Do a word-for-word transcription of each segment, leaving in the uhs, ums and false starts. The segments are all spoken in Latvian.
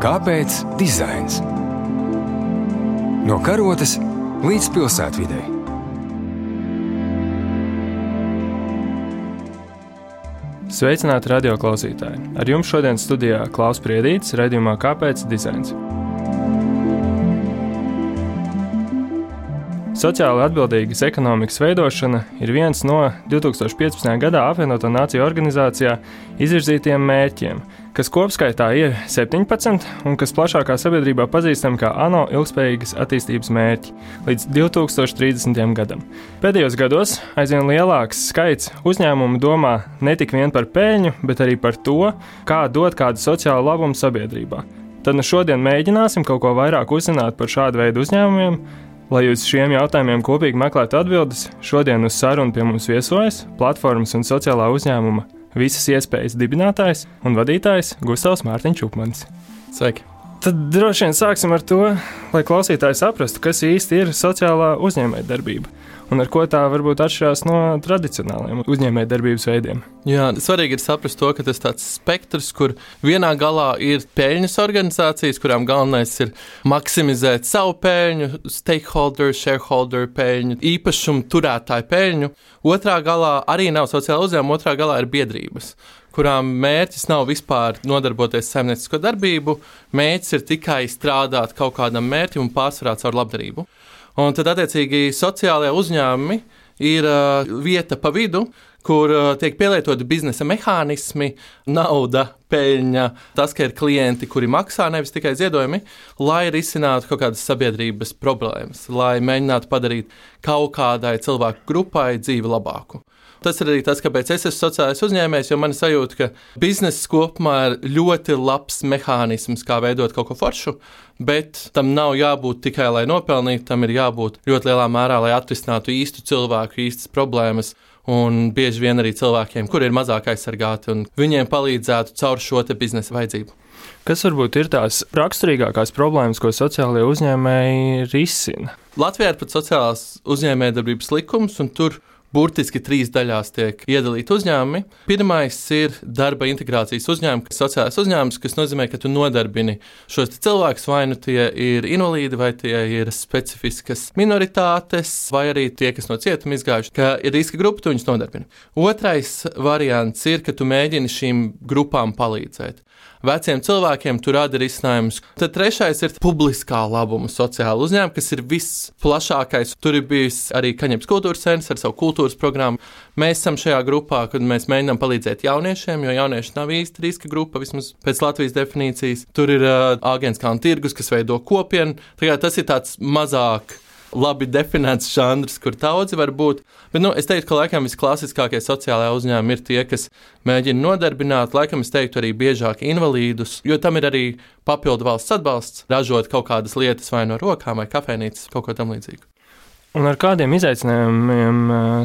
Kāpēc dizains? No karotes līdz pilsētvidei. Sveicināti radioklausītāji! Ar jums šodien studijā Klaus Priedītis, raidījumā Kāpēc dizains? Sociāli atbildīgas ekonomikas veidošana ir viens no divtūkstoš piecpadsmitajā gadā apvienoto nāciju organizācijā izvirzītiem mērķiem, kas kopskaitā ir septiņpadsmit un kas plašākā sabiedrībā pazīstam kā ANO ilgspējīgas attīstības mērķi līdz divtūkstoš trīsdesmitajam gadam. Pēdējos gados aizvien lielāks skaits uzņēmumu domā ne tik vien par peļņu, bet arī par to, kā dot kādu sociālu labumu sabiedrībā. Tad nu šodien mēģināsim kaut ko vairāk uzzināt par šādu veidu uzņēmumiem. Lai uz šiem jautājumiem kopīgi meklētu atbildes, šodien uz sarunu pie mums viesojas platformas un sociālā uzņēmuma Visas iespējas dibinātājs un vadītājs Gustavs Mārtiņš Čupmanis. Sveiki! Tad droši vien sāksim ar to, lai klausītāji saprastu, kas īsti ir sociālā uzņēmējdarbība un ar ko tā varbūt atšķirās no tradicionālajiem uzņēmējdarbības veidiem. Jā, svarīgi ir saprast to, ka tas tāds spektrs, kur vienā galā ir peļņas organizācijas, kurām galvenais ir maksimizēt savu peļņu, stakeholder, shareholder peļņu, īpašumu turētāju peļņu. Otrā galā arī nav sociāla uzņēmuma, otrā galā ir biedrības, kurām mērķis nav vispār nodarboties saimniecisko darbību, mērķis ir tikai strādāt kaut kādam mērķim un pārsvarā caur labdarību. Un tad, attiecīgi, sociālajie uzņēmumi ir uh, vieta pa vidu, kur uh, tiek pielietoti biznesa mehānismi, nauda, peļņa, tas, ka ir klienti, kuri maksā, nevis tikai ziedojumi, lai risinātu kaut kādas sabiedrības problēmas, lai mēģinātu padarīt kaut kādai cilvēku grupai dzīvi labāku. Tas ir arī tas, kāpēc es esmu sociālais uzņēmējs, jo man sajūta, ka bizness kopumā ir ļoti labs mehānisms, kā veidot kaut ko foršu, bet tam nav jābūt tikai, lai nopelnītu, tam ir jābūt ļoti lielā mērā, lai atrisinātu īstu cilvēku, īstas problēmas, un bieži vien arī cilvēkiem, kuri ir mazāk aizsargāti, un viņiem palīdzētu caur šo te biznesa vajadzību. Kas varbūt ir tās raksturīgākās problēmas, ko sociālajie uzņēmēji risina? Latvijā ir pat sociālās uzņēmējdarbības likums, un tur burtiski trīs daļās tiek iedalīti uzņēmumi. Pirmais ir darba integrācijas uzņēmumi, kas ir sociālais uzņēmums, kas nozīmē, ka tu nodarbini šos cilvēkus, vai nu tie ir invalīdi, vai tie ir specifiskas minoritātes, vai arī tie, kas no cietuma izgājuši, ka ir riska grupa, tu viņus nodarbini. Otrais variants ir, ka tu mēģini šīm grupām palīdzēt. Veciem cilvēkiem tu rada risinājumus. Tad trešais ir publiskā labuma sociāla uzņēmuma, kas ir visplašākais. Tur ir bijis arī Kaņepes kultūras centrs ar savu kultūras programmu. Mēs esam šajā grupā, kad mēs mēģinām palīdzēt jauniešiem, jo jaunieši nav īsti riska grupa, vismaz pēc Latvijas definīcijas. Tur ir uh, Āgenskalna tirgus, kas veido kopienu. Tagad tas ir tāds mazāk labi definēts žanrs, kur daudzi var būt. Bet, nu, es teiktu, ka laikam visklasiskākie sociālajā uzņēmumi ir tie, kas mēģina nodarbināt, laikam es teiktu arī biežāk invalīdus, jo tam ir arī papildu valsts atbalsts, ražot kaut kādas lietas vai no rokām vai kafejnīcas, kaut ko tam līdzīgu. Un ar kādiem izaicinājumiem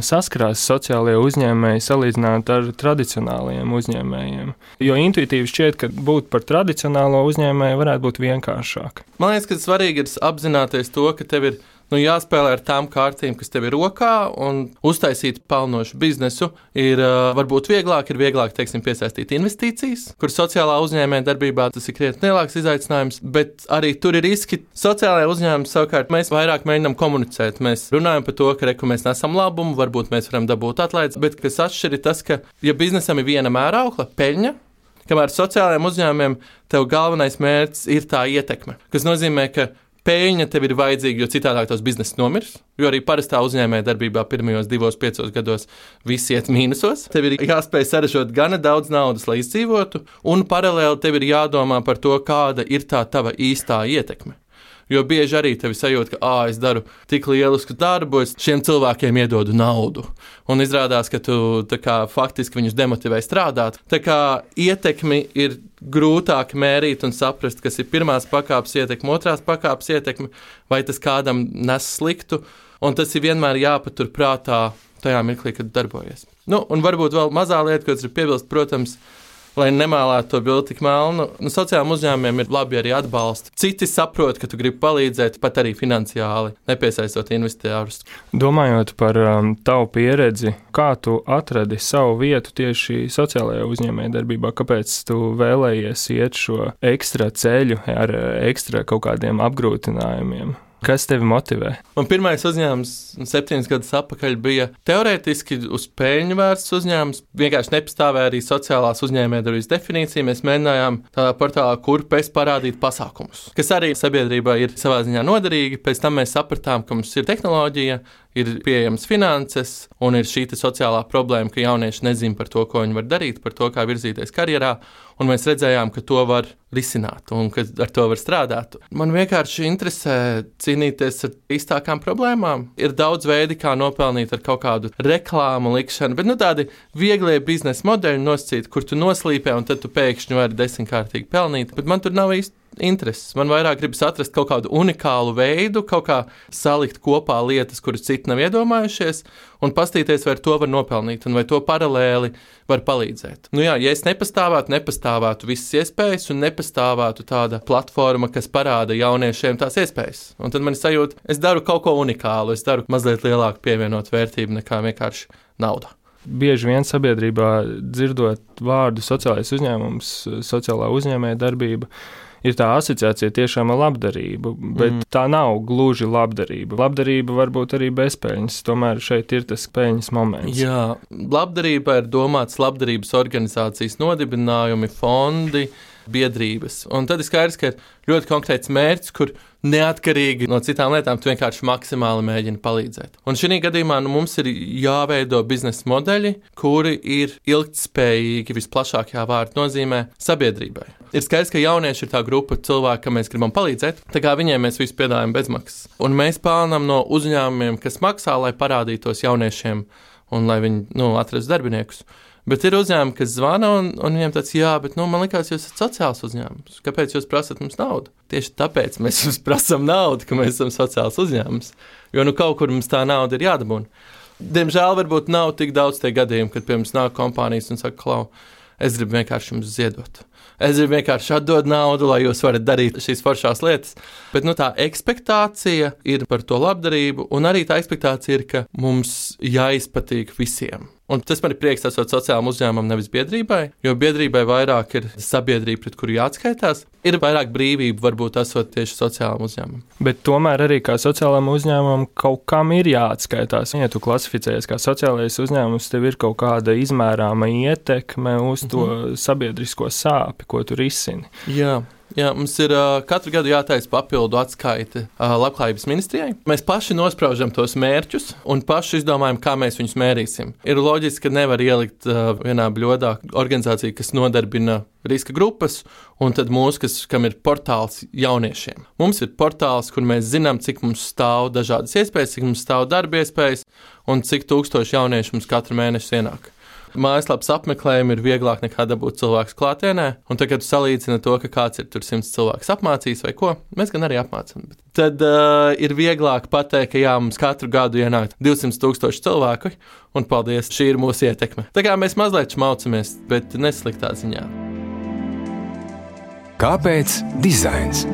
saskarās sociālajie uzņēmēji salīdzināt ar tradicionālajiem uzņēmējiem? Jo intuitīvi šķiet, ka būt par tradicionālo uzņēmēju varētu būt vienkāršāk. Man liekas, ka svarīgi ir apzināties to, ka tev ir nu, jāspēlē ar tām kārtīm, kas tev ir rokā, un uztaisīt pelnošu biznesu ir uh, varbūt vieglāk, ir vieglāk, teiksim, piesaistīt investīcijas, kur sociālā uzņēmē darbībā tas ir krietni lielāks izaicinājums, bet arī tur ir riski. Sociālajā uzņēmumā savukārt mēs vairāk mēģinām komunicēt. Mēs runājam par to, ka reku mēs nesam labumu, varbūt mēs varam dabūt atlaides, bet kas atšķir ir tas, ka, ja biznesam ir viena mēraukla, peļņa, kamēr sociālajiem uzņēmumiem tev galvenais mērķis ir tā ietekme, kas nozīmē, ka peļņa tev ir vajadzīga, jo citādāk tos biznesa nomirs, jo arī parastā uzņēmē darbībā pirmajos divos, piecos gados visi iet mīnusos. Tev ir jāspēj saražot gana daudz naudas, lai izdzīvotu, un paralēli tev ir jādomā par to, kāda ir tā tava īstā ietekme. Jo bieži arī tevi sajūt, ka ā, es daru tik lielisku darbu, es šiem cilvēkiem iedodu naudu. Un izrādās, ka tu tā kā faktiski viņus demotivē strādāt. Tā kā ietekmi ir grūtāk mērīt un saprast, kas ir pirmās pakāpes ietekme, otrās pakāpes ietekme, vai tas kādam nes sliktu. Un tas ir vienmēr jāpatur prātā tajā mirklī, kad darbojies. Nu, un varbūt vēl mazā lieta, ko es ir piebilst, protams, lai nemēlētu to bildi tik melnu. Nu, sociālajiem uzņēmumiem ir labi arī atbalsti. Citi saprot, ka tu gribi palīdzēt, pat arī finansiāli, nepiesaistot investorus. Domājot par um, tavu pieredzi, kā tu atradi savu vietu tieši sociālajā uzņēmējdarbībā? Kāpēc tu vēlējies iet šo ekstra ceļu ar ekstra kaut kādiem apgrūtinājumiem? Kas tevi motivē? Man pirmais uzņēmums septiņus gadus atpakaļ bija teorētiski uz peļņu vērsts uzņēmums. Vienkārši nepastāvēja arī sociālās uzņēmējdarbības definīcija. Mēs mēģinājām tādā portālā Kurpes parādīt pasākumus, kas arī sabiedrībā ir savā ziņā noderīgi. Pēc tam mēs sapratām, ka mums ir tehnoloģija, ir pieejamas finanses un ir šī sociālā problēma, ka jaunieši nezina par to, ko viņi var darīt, par to, kā virzīties karjerā, un mēs redzējām, ka to var risināt un ka ar to var strādāt. Man vienkārši interesē cīnīties ar īstākām problēmām. Ir daudz veidi, kā nopelnīt ar kaut kādu reklāmu likšanu, bet nu tādi vieglie biznesa modeļi nosacīt, kur tu noslīpē un tad tu pēkšņi vari desmitkārtīgi pelnīt, bet man tur nav īsti intereses. Man vairāk gribas atrast kaut kādu unikālu veidu, kaut kā salikt kopā lietas, kuras citi nav iedomājušies, un pastīties, vai ar to var nopelnīt, un vai to paralēli var palīdzēt. Nu jā, ja es nepastāvētu, nepastāvētu visas iespējas, un nepastāvētu tāda platforma, kas parāda jauniešiem tās iespējas. Un tad man ir sajūta, es daru kaut ko unikālu, es daru mazliet lielāku pievienot vērtību nekā vienkārši nauda. Bieži vien sabiedrībā dzirdot vārdu sociālais uzņēmums, sociālā uzņēmēja darbība, ir tā asociācija tiešām ar labdarību, bet mm. tā nav gluži labdarība. Labdarība var būt arī bezpeļņas, tomēr šeit ir tas peļņas moments. Jā, labdarība ir domāts labdarības organizācijas nodibinājumi, fondi, biedrības. Un tad ir skaidrs, ka ir ļoti konkrēts mērķis, kur neatkarīgi no citām lietām tu vienkārši maksimāli mēģini palīdzēt. Un šī gadījumā nu, mums ir jāveido biznesa modeļi, kuri ir ilgtspējīgi visplašākajā vārda nozīmē sabiedrībai. Ir skaidrs, ka jaunieši ir tā grupa cilvēku, kam mēs gribam palīdzēt, tā kā viņiem mēs visu piedāvājam bezmaksas. Un mēs pelnām no uzņēmumiem, kas maksā, lai parādītos jauniešiem un lai viņi nu, atrastu darbiniekus. Bet ir uzņēmumi, kas zvana, un, un viņiem tāds, jā, bet nu, man likās, jūs esat sociāls uzņēmums. Kāpēc jūs prasat mums naudu? Tieši tāpēc mēs jums prasam naudu, ka mēs esam sociāls uzņēmums. Jo nu kaut kur mums tā nauda ir jādabūna. Diemžēl varbūt nav tik daudz tie gadījumi, kad pie mums nāk kompānijas un saka, klau, es gribu vienkārši jums ziedot. Es gribu vienkārši atdot naudu, lai jūs varat darīt šīs foršās lietas. Bet nu, tā ekspektācija ir par to labdarību, un arī tā ekspektācija ir, ka mums jāizpatīk visiem. Un tas man ir prieks esot sociālam uzņēmumam, nevis biedrībai, jo biedrībai vairāk ir sabiedrība, pret kuru jāatskaitās. Ir vairāk brīvība, varbūt esot tieši sociālam uzņēmumam. Bet tomēr arī kā sociālam uzņēmumam kaut kam ir jāatskaitās. Ja tu klasificējies kā sociālais uzņēmums, tev ir kaut kāda izmērāma ietekme uz to mm-hmm. sabiedrisko sāpi, ko tu risini. Jā. Jā, mums ir uh, katru gadu jātaisa papildu atskaite uh, Labklājības ministrijai. Mēs paši nospraužam tos mērķus un paši izdomājam, kā mēs viņus mērīsim. Ir loģiski, ka nevar ielikt uh, vienā bļodā organizāciju, kas nodarbina riska grupas, un tad mūsu, kas, kam ir portāls jauniešiem. Mums ir portāls, kur mēs zinām, cik mums stāv dažādas iespējas, cik mums stāv darba iespējas un cik tūkstoši jaunieši mums katru mēnešu ienāk. Mājaslapas apmeklējumi ir vieglāk nekā dabūt cilvēkus klātienē, un tagad salīdzina to, ka kāds ir tur simts cilvēks apmācījis vai ko, mēs gan arī apmācam. Tad uh, ir vieglāk pateikt, ka jā, mums katru gadu ienāk divsimt tūkstoši cilvēku, un paldies, šī ir mūsu ietekme. Tā kā mēs mazliet šmaucamies, bet nesliktā ziņā. Kāpēc dizains?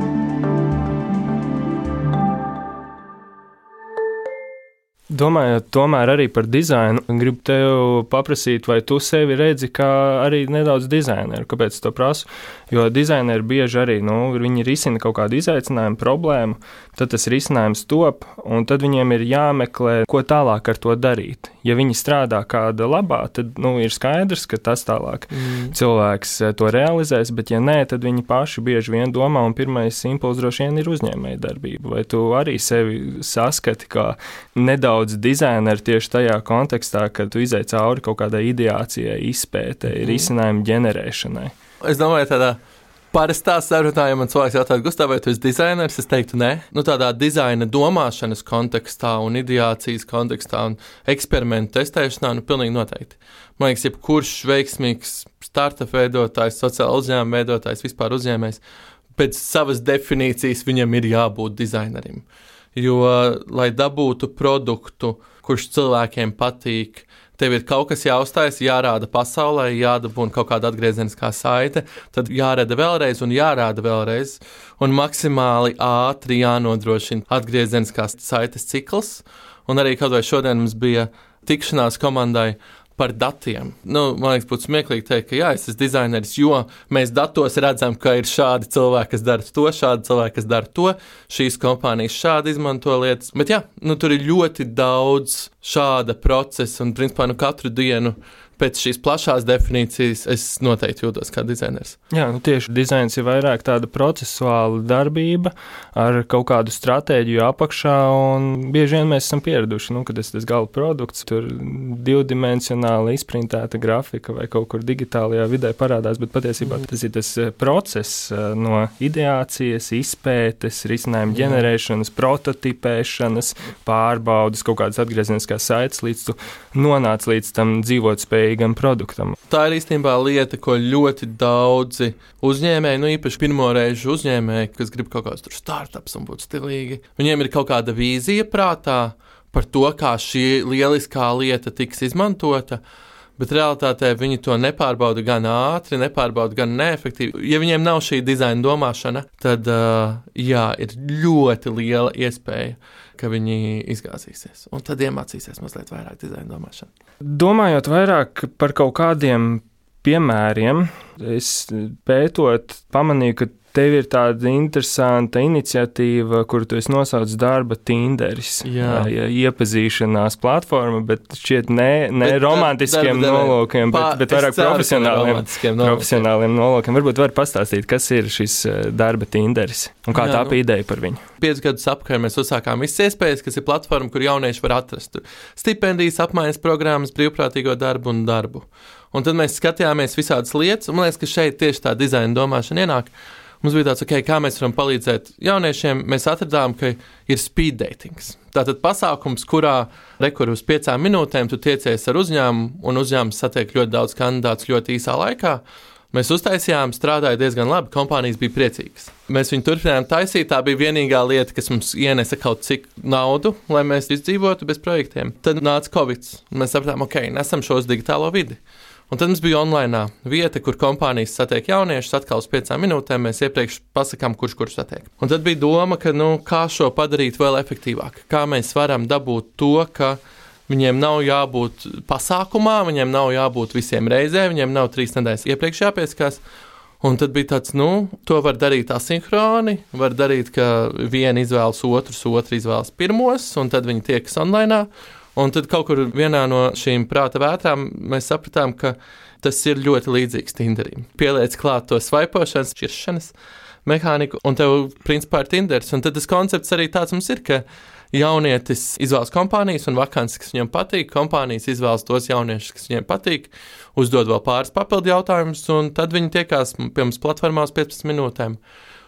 Domājot tomēr arī par dizainu, gribu tev paprasīt, vai tu sevi redzi kā arī nedaudz dizaineru. Kāpēc to prasu? Jo dizaineri bieži arī, nu, viņi risina kaut kādu izaicinājumu, problēmu, tad tas risinājums top, un tad viņiem ir jāmeklē, ko tālāk ar to darīt. Ja viņi strādā kāda labā, tad, nu, ir skaidrs, ka tas tālāk mm. cilvēks to realizēs, bet ja nē, tad viņi paši bieži vien domā, un pirmais impulss droši vien ir uzņēmēja darbība. Vai tu arī sevi saskati kā nedaudz dizaineri tieši tajā kontekstā, kad tu izej cauri kaut kādai ideācijai, izpētei, mm. risinājumu ģenerēšanai? Es domāju, tādā parastā sarunā, ja man cilvēks jautātu, Gustav, vai tu esi dizainers, es teiktu, nē. Nu, tādā dizaina domāšanas kontekstā un ideācijas kontekstā un eksperimentu testēšanā, nu, pilnīgi noteikti. Man liekas, jebkurš veiksmīgs startup veidotājs, sociāla uzņēmuma veidotājs, vispār uzņēmējs, pēc savas definīcijas viņam ir jābūt dizainerim. Jo, lai dabūtu produktu, kurš cilvēkiem patīk, tev ir kaut kas jāuzstājas, jārāda pasaulē, jādabūna kaut kāda atgriezeniskā saite, tad jārada vēlreiz un jārāda vēlreiz, un maksimāli ātri jānodrošina atgriezeniskās saites cikls, un arī kaut vai šodien mums bija tikšanās komandai par datiem. Nu, man liekas, būtu smieklīgi teikt, ka jā, es esmu dizaineris, jo mēs datos redzam, ka ir šādi cilvēki, kas dara to, šādi cilvēki, kas dara to, šīs kompānijas šādi izmanto lietas. Bet jā, nu, tur ir ļoti daudz šāda procesa, un principā nu, katru dienu pēc šīs plašās definīcijas es noteikti jūtos kā dizainers. Jā, nu tieši dizains ir vairāk tāda procesuāla darbība ar kaut kādu stratēģiju apakšā, un bieži vien mēs esam pieraduši, nu, kad tas tas gala produkts, tur divdimensionāli izprintēta grafika vai kaut kur digitālajā vidē parādās, bet patiesībā mm. tas ir tas process no ideācijas, izpētes, risinājumu ģenerēšanas, prototipēšanas, pārbaudas, kaut kādas atgriezeniskās saites, līdz tu nonāc līdz tam dzīvotspējīgam produktam. Tā ir īstenībā lieta, ko ļoti daudzi uzņēmēji, nu īpaši pirmoreizu uzņēmēji, kas grib kaut kāds tur startups un būt stilīgi, viņiem ir kaut kāda vīzija prātā par to, kā šī lieliskā lieta tiks izmantota, bet realitātē viņi to nepārbauda gan ātri, nepārbauda gan neefektīvi. Ja viņiem nav šī dizaina domāšana, tad uh, jā, ir ļoti liela iespēja, ka viņi izgāzīsies, un tad iemācīsies mazliet vairāk dizaina domāšanu. Domājot vairāk par kaut kādiem piemēriem, es pētot pamanīju, ka tev ir tāda interesanta iniciatīva, kuru tu esi nosaucis darba Tinderis. Jā. Iepazīšanās platforma, bet šķiet ne, ne bet, romantiskiem darba, nolūkiem, bet, bet vairāk profesionāliem, profesionāliem nolūkiem. Varbūt var pastāstīt, kas ir šis darba Tinderis un kā Jā, tā bija nu, ideja par viņu. Piecus gadus apkārt mēs uzsākām visas iespējas, kas ir platforma, kur jaunieši var atrast stipendijas, apmaiņas programmas, brīvprātīgo darbu un darbu. Un tad mēs skatījāmies visādas lietas, un man liekas, ka šeit tieši tā dizaina domāšana ienāk. Mums bija tāds, okay, kā mēs varam palīdzēt jauniešiem. Mēs atradām, ka ir speed datings. Tātad pasākums, kurā rekur uz piecām minūtēm tu tiecies ar uzņēmumu, un uzņēmums satiek ļoti daudz kandidātus ļoti īsā laikā. Mēs uztaisījām, strādāja diezgan labi, kompānijas bija priecīgas. Mēs viņu turpinājām taisīt, tā bija vienīgā lieta, kas mums ienesa kaut cik naudu, lai mēs izdzīvotu bez projektiem. Tad nāca Covid, un mēs sapratām, ok, nesam šo uz digitālo vidi. Un tad mums bija online vieta, kur kompānijas satiek jauniešus, atkal uz piecām minūtēm mēs iepriekš pasakām, kurš kurš satiek. Un tad bija doma, ka, nu, kā šo padarīt vēl efektīvāk, kā mēs varam dabūt to, ka viņiem nav jābūt pasākumā, viņiem nav jābūt visiem reizē, viņiem nav trīs nedēļas iepriekš jāpieskās. Un tad bija tāds, nu, to var darīt asinhroni, var darīt, ka viena izvēlas otrus, otru izvēlas pirmos, un tad viņi tiekas online. Un tad kaut kur vienā no šīm prāta vētrām mēs sapratām, ka tas ir ļoti līdzīgs Tinderim. Pieliec klāt to svaipošanas, šķiršanas mehāniku, un tev principā ir Tinders. Un tad tas koncepts arī tāds mums ir, ka jaunietis izvēlas kompānijas un vakances, kas viņam patīk, kompānijas izvēlas tos jauniešus, kas viņiem patīk, uzdod vēl pāris papildu jautājumus, un tad viņi tiekās pie mums platformā uz piecpadsmit minūtēm.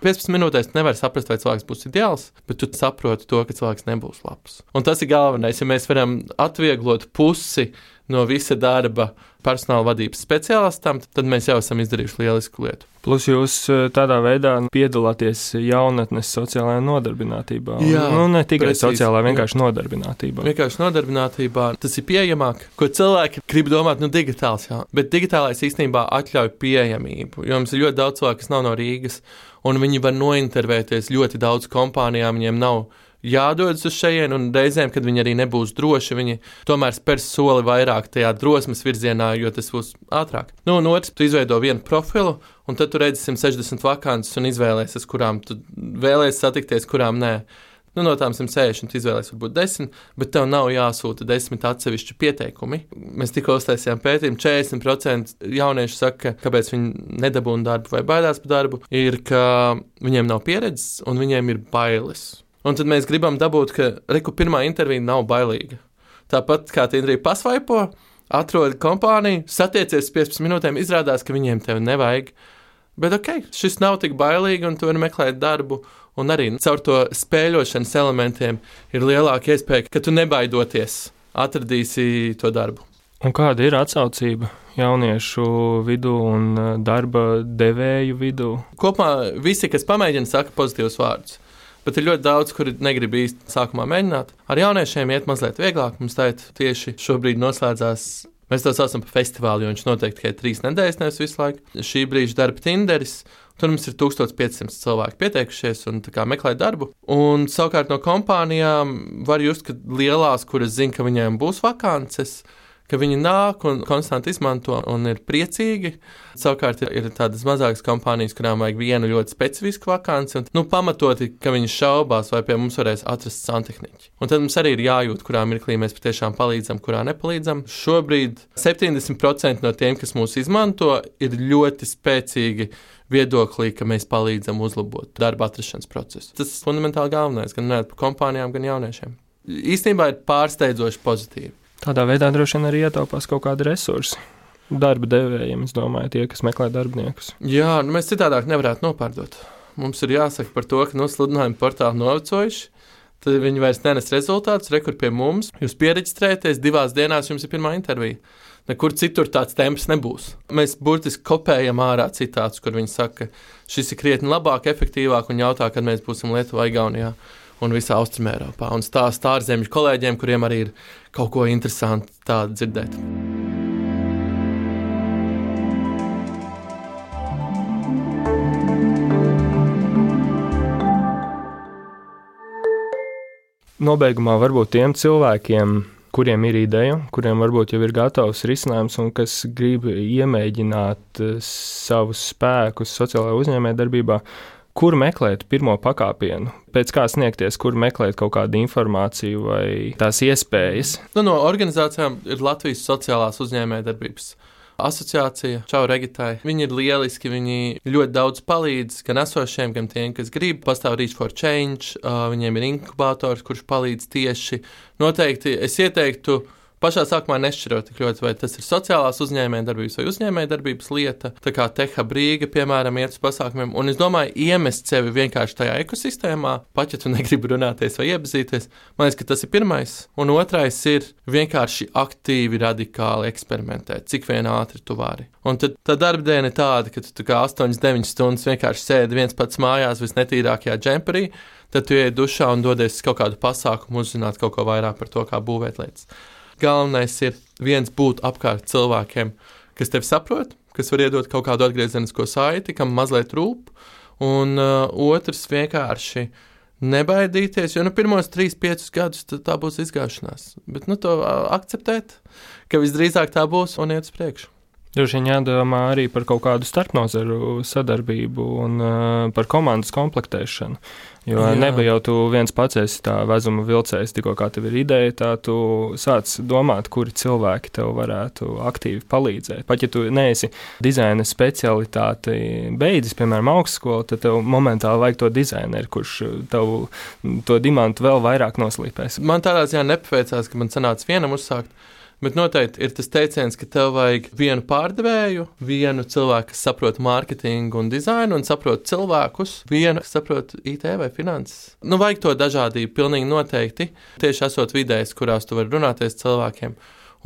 piecpadsmit minūtēs nevar saprast, vai cilvēks būs ideāls, bet tu saproti to, ka cilvēks nebūs labs. Un tas ir galvenais, ja mēs varam atvieglot pusi no visa darba personāla vadības speciālistam, tad mēs jau esam izdarījuši lielisku lietu. Plus jūs tādā veidā piedalāties jaunatnes sociālajā nodarbinātībā. Jā, nu, ne tikai precīzi, sociālā, vienkārši jā. nodarbinātībā. Vienkārši nodarbinātībā tas ir pieejamāk, ko cilvēki grib domāt, nu digitāls, jā. Bet digitālais īstenībā atļauj pieejamību, jo mums ir ļoti daudz cilvēku, kas nav no Rīgas, un viņi var nointervēties ļoti daudz kompānijām, viņiem nav jādodas uz šejienu, un reizēm, kad viņi arī nebūs droši, viņi tomēr spērs soli vairāk tajā drosmes virzienā, jo tas būs ātrāk. Nu, un otrs, tu izveido vienu profilu, un tad tu redzi simt sešdesmit vakances un izvēlēsies, kurām tu vēlēsies satikties, kurām nē. Nu, no tām simt sešdesmit izvēlēsies varbūt desmit, bet tev nav jāsūta desmit atsevišķi pieteikumi. Mēs tikko uztaisījām pētījumu, četrdesmit procenti jaunieši saka, kāpēc viņi nedabūna darbu vai baidās par darbu, ir, ka viņiem nav pieredzes un viņiem ir bailes. Un tad mēs gribam dabūt, ka reku pirmā intervija nav bailīga. Tāpat kā Tinderī pasvaipo, atrod kompāniju, satiecies piecpadsmit minūtēm, izrādās, ka viņiem tevi nevajag. Bet ok, šis nav tik bailīgi un tu vari meklēt darbu. Un arī caur to spēļošanas elementiem ir lielāka iespēja, ka tu nebaidoties atradīsi to darbu. Un kāda ir atsaucība jauniešu vidū un darba devēju vidū? Kopumā visi, kas pamēģina, saka pozitīvus vārdus. Bet ir ļoti daudz, kuri negrib īsti sākumā mēģināt. Ar jauniešiem iet mazliet vieglāk. Mums tā tieši šobrīd noslēdzās. Mēs to saucam par festivālu, jo viņš noteikti tikai trīs nedēļas, nevis visu laiku. Šī brīža darba Tinderis. Tur mums ir tūkstoš piecsimt cilvēki pieteikušies un meklē darbu. Un savukārt no kompānijām var just, ka lielās, kuras zina, ka viņiem būs vakances, ka viņi nāk un konstanti izmanto un ir priecīgi. Savukārt ir tādas mazākas kompānijas, kurām vajag vienu ļoti specifisku vakanci, un nu, pamatoti, ka viņi šaubās, vai pie mums varēs atrast santehniķi. Un tad mums arī ir jājūt, kurā mirklī mēs patiešām palīdzam, kurā nepalīdzam. Šobrīd septiņdesmit procenti no tiem, kas mūs izmanto, ir ļoti spēcīgi viedoklī, ka mēs palīdzam uzlabot darba atrašanas procesu. Tas ir fundamentāli galvenais, gan par kompānijām, gan jauniešiem. Īstenībā ir pārsteidzoši pozitīvi. Tādā veidā droši vien arī ietaupās kaut kādi resursi. Darba devējiem, es domāju, tie, kas meklē darbiniekus. Jā, nu mēs citādāk nevarētu nopārdot. Mums ir jāsaka par to, ka no sludinājuma portāli novecojuši, tad viņi vairs nenes rezultātus, rekur pie mums. Jūs piereģistrēties, divās dienās jums ir pirmā intervija. Nekur citur tāds temps nebūs. Mēs burtiski kopējam ārā citātus, kur viņi saka, šis ir krietni labāk, efektīvāk un jautā, kad mēs būsim Lietuvā, Igaunijā un visā Austrumēropā. Un stāst ārzemju kolēģiem, kuriem arī ir kaut ko interesantu tādu dzirdēt. Nobeigumā varbūt tiem cilvēkiem, kuriem ir ideja, kuriem varbūt jau ir gatavs risinājums un kas grib iemēģināt savus spēkus sociālajā uzņēmējdarbībā, kur meklēt pirmo pakāpienu, pēc kā sniegties, kur meklēt kaut kādu informāciju vai tās iespējas? Nu, no organizācijām ir Latvijas sociālās uzņēmējdarbības asociācija, čau Regitai. Viņi ir lieliski, viņi ļoti daudz palīdz gan esošiem, gan tiem, kas grib. Pastāv Reach for Change, uh, viņiem ir inkubators, kurš palīdz tieši. Noteikti es ieteiktu pašā sākumā nešķirot tik ļoti, vai tas ir sociālās uzņēmējdarbības vai uzņēmējdarbības lieta, tā kā Tehab Rīga, piemēram, iet uz pasākumiem, un es domāju, iemest sevi vienkārši tajā ekosistēmā, pat ja tu negribi runāties vai iepazīties, man liekas, ka tas ir pirmais, un otrais ir vienkārši aktīvi, radikāli eksperimentēt, cik vien ātri tu vari. Un tad tā darba diena ir tāda, ka tu kā astoņas deviņas stundas vienkārši sēdi viens pats mājās visnetīrākajā džemperī, tad tu iej dušā un dodies kaut kādu pasākumu, uzzināt kaut ko vairāk par to, kā būvēt lietas. Galvenais ir viens būt apkārt cilvēkiem, kas tevi saprot, kas var iedot kaut kādu atgriezenisko saiti, kam mazliet rūp, un uh, otrs vienkārši nebaidīties, jo nu pirmos trīs, piecus gadus tā būs izgāšanās. Bet nu to uh, akceptēt, ka visdrīzāk tā būs un iet uz priekšu. Droši vien jādomā arī par kaut kādu starpnozaru sadarbību un uh, par komandas komplektēšanu. Jo Jā. Neba jau tu viens pats esi tā vezuma vilcējs, tikko kā tev ir ideja, tā tu sāc domāt, kuri cilvēki tev varētu aktīvi palīdzēt. Pat ja tu neesi dizaina specialitāti beidzis, piemēram, augstskolu, tad tev momentāli vajag to dizaineru, kurš tev to dimantu vēl vairāk noslīpēs. Man tādā ziņā nepaveicās, ka man sanāca vienam uzsākt. Bet noteikti ir tas teiciens, ka tev vajag vienu pārdevēju, vienu cilvēku, kas saprot mārketingu un dizainu, un saprot cilvēkus, vienu, kas saprot I T vai finanses. Nu, vajag to dažādību, pilnīgi noteikti. Tieši esot vidēs, kurās tu vari runāties cilvēkiem,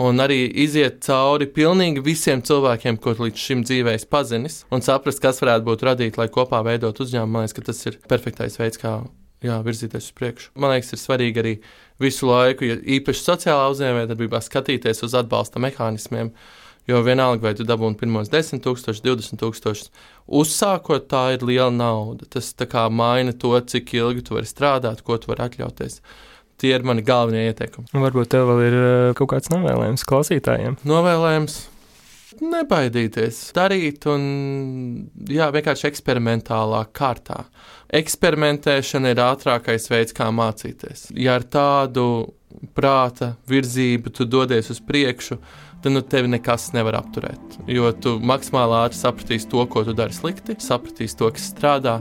un arī iziet cauri pilnīgi visiem cilvēkiem, ko līdz šim dzīvēs pazinis, un saprast, kas varētu būt radīt, lai kopā veidot uzņēmumu. Man liekas, ka tas ir perfektais veids, kā jā, virzīties uz priekšu. Man liekas, ir svarīgi arī visu laiku, ja īpaši sociālā uzņēmējdarbībā, skatīties uz atbalsta mehānismiem, jo vienalga, vai tu dabūni pirmos desmit tūkstoši, divdesmit tūkstoši, uzsākot, tā ir liela nauda. Tas tā kā maina to, cik ilgi tu vari strādāt, ko tu vari atļauties. Tie ir mani galvenie ieteikumi. Varbūt tev vēl ir kaut kāds novēlējums klausītājiem? Novēlējums? Nebaidīties, darīt un jā, vienkārši eksperimentālā kārtā. Eksperimentēšana ir ātrākais veids, kā mācīties. Ja ar tādu prāta virzību tu dodies uz priekšu, tad nu tevi nekas nevar apturēt. Jo tu maksimāli ātri sapratīsi to, ko tu dari slikti, sapratīsi to, kas strādā,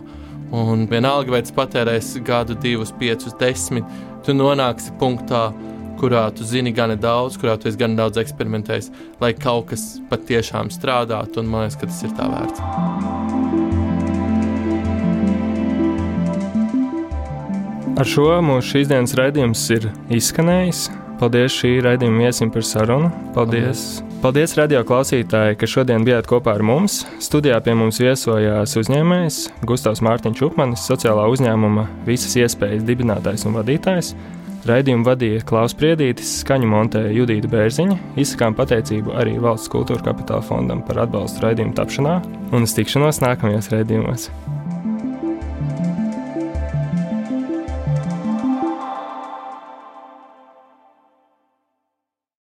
un vienalga, vai tu patērēsi gadu, divus, piecus, desmit, tu nonāksi punktā, kurā tu zini gana daudz, kurā tu esi gana daudz eksperimentējis, lai kaut kas patiešām strādātu, un man liekas, ka tas ir tā vērts. Ar šo mūsu šīs dienas raidījums ir izskanējis. Paldies šī raidījuma viesim par sarunu. Paldies. Paldies, radio klausītāji, ka šodien bijāt kopā ar mums. Studijā pie mums viesojās uzņēmējs Gustavs Mārtiņš Upmanis, sociālā uzņēmuma Visas iespējas dibinātājs un vadītājs. Raidījumu vadīja Klaus Priedītis, skaņu montēja Judīta Bērziņa, izsakām pateicību arī Valsts kultūra kapitāla fondam par atbalstu raidījumu tapšanā un uz tikšanos nākamajos raidījumos.